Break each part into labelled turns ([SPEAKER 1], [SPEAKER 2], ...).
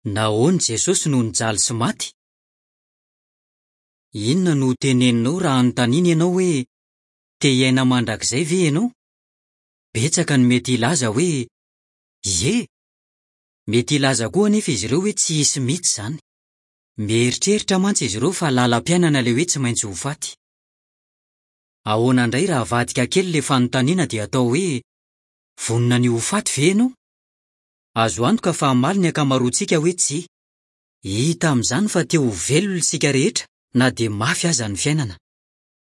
[SPEAKER 1] Nahoana Jesosy no nijaly sy maty? Inona no hoteneninao raha anontaniana ianao hoe, Te hiaina mandrakizay ve ianao? Betsaka no mety hilaza hoe, Ie! Mety hilaza koa anefa izy ireo hoe tsy hisy mihitsy izany. Mieritreritra mantsy izy ireo fa lalam-piainana ilay hoe tsy maintsy ho faty. Ahoana indray raha avadika kely ilay fanontaniana dia atao hoe, Vonona ny ho faty ve ianao? Azo antoka fa hamaly ny ankamaroantsika hoe tsia. Hita amin'izany fa te ho velona isika rehetra na dia mafy aza ny fiainana.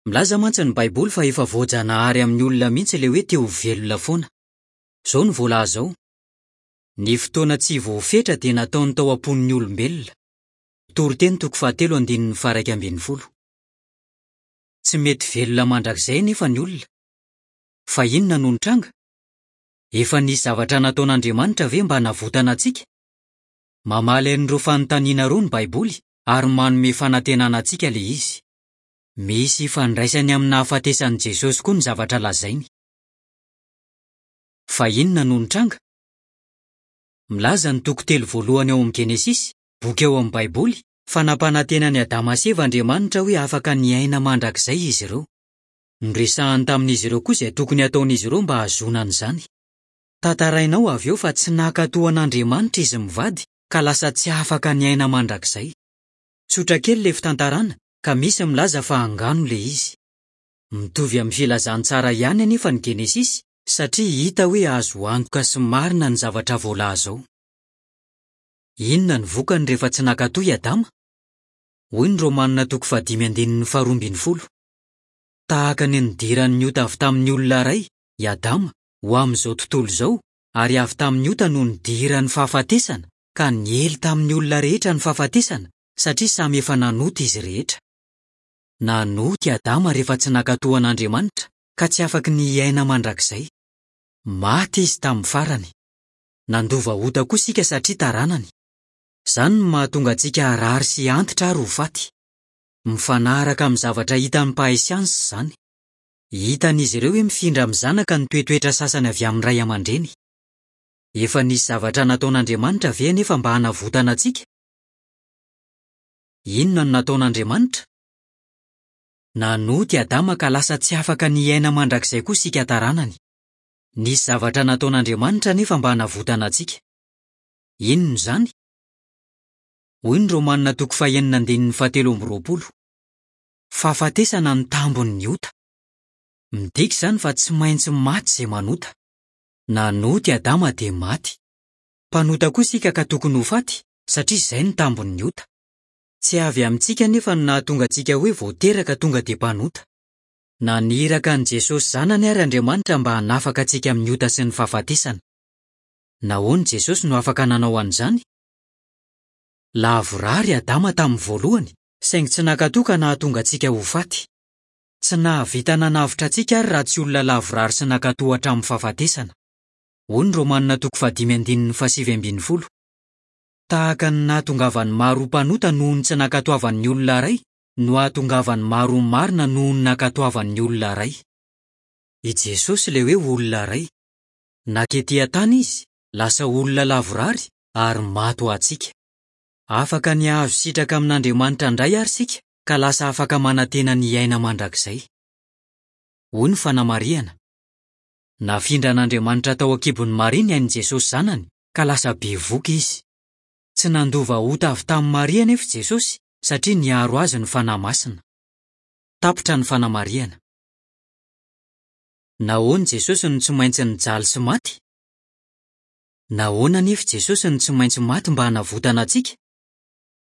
[SPEAKER 1] Milaza mantsy ny Baiboly fa efa voajanahary amin'ny olona mihitsy ilay hoe te ho velona foana. Izao no voalaza ao, Ny fotoana tsy voafetra dia nataony tao am-pon'ny olombelona. Toriteny toko fahatelo andininy faha-11. Tsy mety velona mandrakizay anefa ny olona. Fa inona no nitranga? Efa nisy zavatra nataon'Andriamanitra ve mba hanavotana antsika? Mamaly an'ireo fanontaniana ireo ny Baiboly ary manome fanantenana antsika ilay izy. Misy ifandraisany amin'ny nahafatesan'i Jesosy koa ny zavatra lazainy. Fa inona no nitranga? Milaza ny toko telo voalohany ao amin'ny Genesisy, boky ao amin'ny Baiboly, fa nampanantena an'i Adama sy Eva Andriamanitra hoe afaka ny hiaina mandrakizay izy ireo. Noresahany tamin'izy ireo koa izay tokony hataon'izy ireo mba hahazoana an'izany. Tantaraina ao avy eo fa tsy nankatò an'Andriamanitra izy mivady ka lasa tsy afaka niaina mandrakizay. Tsotra kely ilay fitantarana ka misy milaza fa angano ilay izy. Mitovy amin'ny Filazantsara ihany anefa ny Genesisy satria hita hoe azo antoka sy marina ny zavatra voalaza ao. Inona no vokany rehefa tsy nankatò i Adama? Hoy ny Romanina toko fahadimy andininy faharoa ambin'ny folo, Tahaka ny nidiran'ny ota avy tamin'ny olona iray, i Adama, ho amin'izao tontolo izao, ary avy tamin'ny ota no nidiran'ny fahafatesana, ka niely tamin'ny olona rehetra ny fahafatesana, satria samy efa nanota izy rehetra. Nanota i Adama rehefa tsy nankatò an'Andriamanitra, ka tsy afaky ny hiaina mandrakizay. Maty izy tamin'ny farany. Nandova ota koa isika satria taranany. Izany no mahatonga antsika harary sy hantitra ary ho faty. Mifanaraka amin'ny zavatra hitan'ny mpahay siansa izany. Hitan'izy ireo hoe mifindra amin'ny zanaka ny toetoetra sasany avy amin'ny ray aman-dreny. Efa nisy zavatra nataon'Andriamanitra ve anefa mba hanavotana antsika? Inona no nataon'Andriamanitra? Nanota i Adama ka lasa tsy afaka ny hiaina mandrakizay koa isika taranany. Nisy zavatra nataon'Andriamanitra anefa mba hanavotana antsika. Inona izany? Hoy ny Romanina toko fahenina andininy fahatelo amby roapolo, Fahafatesana no tambin'ny ota. Midika izany fa tsy maintsy maty izay manota. Nanota i Adama dia maty. Mpanota koa isika ka tokony ho faty, satria izay no tambin'ny ota. Tsy avy amintsika anefa no nahatonga antsika hoe vao teraka tonga dia mpanota. Naniraka an'i Jesosy Zanany àry Andriamanitra mba hanafaka antsika amin'ny ota sy ny fahafatesana. Nahoana i Jesosy no afaka nanao an'izany? Lavorary i Adama tamin'ny voalohany, saingy tsy nankatò ka nahatonga antsika ho faty. Tsy nahavita nanavotra antsika àry raha tsy olona lavorary sy nankatò hatramin'ny fahafatesana. Hoy ny Romanina toko fahadimy andininy fahasivy ambin'ny folo, Tahaka ny nahatongavan'ny maro ho mpanota noho ny tsy nankatoavan'ny olona iray, no hahatongavan'ny maro ho marina noho ny nankatoavan'ny olona iray. I Jesosy ilay hoe olona iray. Nanketỳ an-tany izy, lasa olona lavorary, ary maty ho antsika. Afaka ny hahazo sitraka amin'Andriamanitra indray àry isika, ka lasa afaka manantena ny hiaina mandrakizay. Hoy ny fanamarihana, Nafindran'Andriamanitra tao an-kibon'i Maria ny ain'i Jesosy Zanany, ka lasa bevohoka izy. Tsy nandova ota avy tamin'i Maria anefa i Jesosy, satria niaro azy ny fanahy masina. Tapitra ny fanamarihana. Nahoana i Jesosy no tsy maintsy nijaly sy maty? Nahoana anefa i Jesosy no tsy maintsy maty mba hanavotana antsika?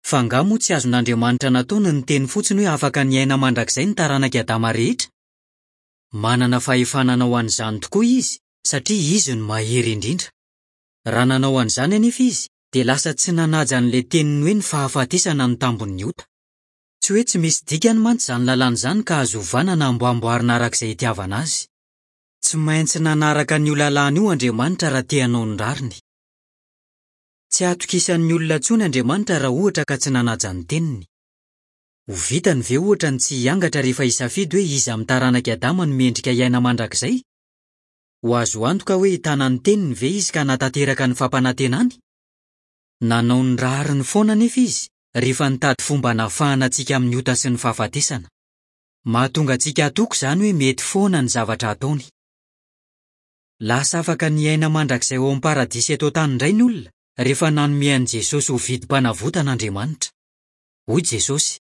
[SPEAKER 1] Fa angaha moa tsy azon'Andriamanitra natao ny niteny fotsiny hoe afaka ny hiaina mandrakizay ny taranak'i Adama rehetra? Manana fahefana hanao an'izany tokoa izy, satria izy no mahery indrindra. Raha nanao an'izany anefa izy, dia lasa tsy nanaja an'ilay teniny hoe ny fahafatesana no tambin'ny ota. Tsy hoe tsy misy dikany mantsy izany lalàna izany ka azo ovana na amboamboarina araka izay itiavana azy. Tsy maintsy nanaraka an'io lalàna io Andriamanitra raha te hanao ny rariny. Tsy hatokisan'ny olona intsony Andriamanitra raha ohatra ka tsy nanaja ny teniny. Ho vitany ve ohatra ny tsy hiangatra rehefa hisafidy hoe iza amin'ny taranak'i Adama no mendrika hiaina mandrakizay? Ho azo antoka hoe hitana ny teniny ve izy ka hanatanteraka ny fampanantenany? Nanao ny rariny foana anefa izy rehefa nitady fomba hanafahana antsika amin'ny ota sy ny fahafatesana. Mahatonga antsika hatoky izany hoe mety foana ny zavatra ataony. Lasa afaka ny hiaina mandrakizay ao amin'ny paradisa eto an-tany indray ny olona rehefa nanome an'i Jesosy ho vidim-panavotana Andriamanitra. Hoy Jesosy,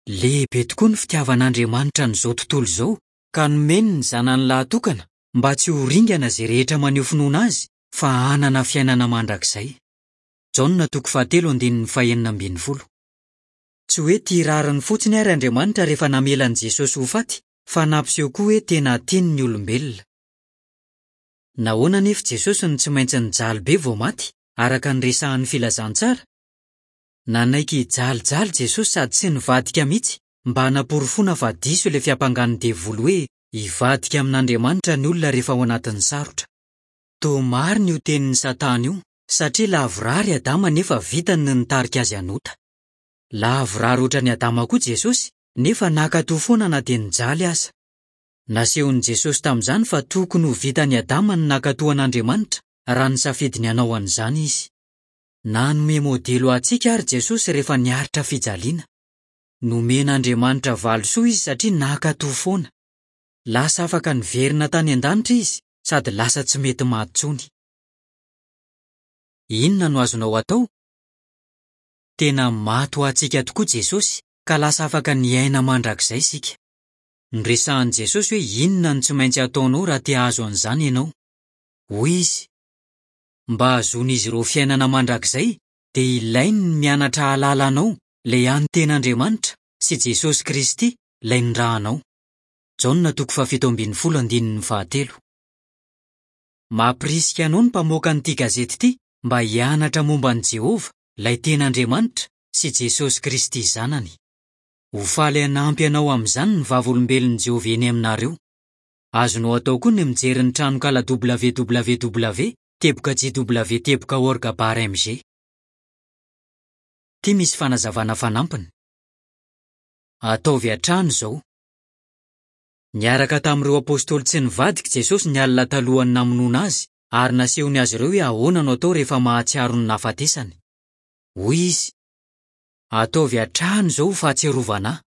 [SPEAKER 1] Lehibe tokoa ny fitiavan'Andriamanitra an'izao tontolo izao, ka nomeny ny Zanany lahatokana mba tsy ho ringana izay rehetra maneho finoana azy fa hanana fiainana mandrakizay. Jaona toko fahatelo andininy fahenina ambin'ny folo. Tsy hoe tia rariny fotsiny àry Andriamanitra rehefa namela an'i Jesosy ho faty, fa nampiseho koa hoe tena tiany ny olombelona. Nahoana anefa Jesosy no tsy maintsy nijaly be vao maty, araka ny resahin'ny Filazantsara? Nanaiky hijalijaly Jesosy sady tsy nivadika mihitsy mba hanaporofoana fa diso ilay fiampangan'ny Devoly hoe hivadika amin'Andriamanitra ny olona rehefa ao anatin'ny sarotra. Toa marina io tenin'i Satana io, satria lavorary i Adama nefa vitany ny nitarika azy hanota. Lavorary hoatran'i Adama koa Jesosy, nefa nankatò foana na dia nijaly aza. Nasehon'i Jesosy tamin'izany fa tokony ho vitan'i Adama ny nankatò an'Andriamanitra raha nisafidy ny hanao an'izany izy. Nanome modely ho antsika àry Jesosy rehefa niaritra fijaliana. Nomen'Andriamanitra valisoa izy satria nankatò foana. Lasa afaka niverina tany an-danitra izy sady lasa tsy mety maty intsony. Inona no azonao atao? Tena maty ho antsika tokoa Jesosy ka lasa afaka ny hiaina mandrakizay isika. Noresahin'i Jesosy hoe inona no tsy maintsy ataonao raha te hahazo an'izany ianao. Hoy izy, Mba hahazoan'izy ireo fiainana mandrakizay, dia ilainy ny mianatra hahalala anao, ilay hany tena Andriamanitra, sy Jesosy Kristy, ilay nirahanao. Jaona toko fahafito ambin'ny folo andininy fahatelo. Mampirisika anao ny mpamoaka an'ity gazety ity mba hianatra momba an'i Jehovah, ilay tena Andriamanitra, sy Jesosy Kristy Zanany. Ho faly hanampy anao amin'izany ny Vavolombelon'i Jehovah eny aminareo. Azonao atao koa ny mijery ny tranonkala www teboka jw teboka org bar mg. Ity misy fanazavana fanampiny. Ataovy hatrany izao. Niaraka tamin'ireo apostoly tsy nivadika i Jesosy ny alina talohan'ny namonoana azy, ary nasehony azy ireo hoe ahoana no atao rehefa mahatsiaro ny nahafatesany. Hoy izy, Ataovy hatrany izao ho fahatsiarovana ahy.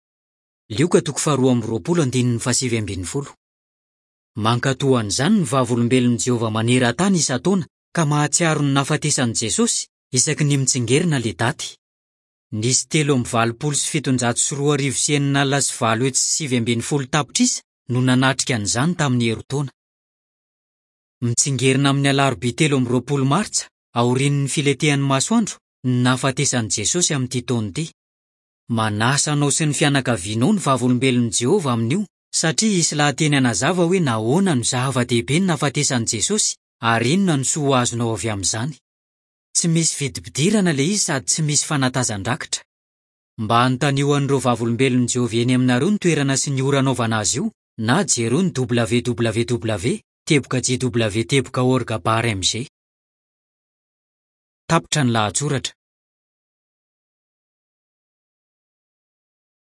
[SPEAKER 1] Lioka toko faharoa amby roapolo andininy fahasivy ambin'ny folo. Mankatò an'izany ny Vavolombelon'i Jehovah maneran-tany isan-taona, ka mahatsiaro ny nahafatesan'i Jesosy, isaky ny mitsingerina ilay daty. Nisy 2883 sy 819 tapitrisa no nanatrika an'izany tamin'ny herintaona. Mitsingerina amin'ny alarobia 23 martsa, aorian'ny filentehan'ny masoandro, ny nahafatesan'i Jesosy amin'ity taona ity. Manasa anao sy ny fianakavianao ny Vavolombelon'i Jehovah amin'io, satria hisy lahateny hanazava hoe nahoana no zava-dehibe ny nahafatesan'i Jesosy ary inona no soa ho azonao avy amin'izany. Tsy misy vidim-pidirana ilay izy sady tsy misy fanatazan-drakitra. Mba anontanio an'ireo Vavolombelon'i Jehovah eny aminareo ny toerana sy ny ora anaovana azy io, na jereo ny www teboka jw teboka org bar mg. Tapitra ny lahatsoratra.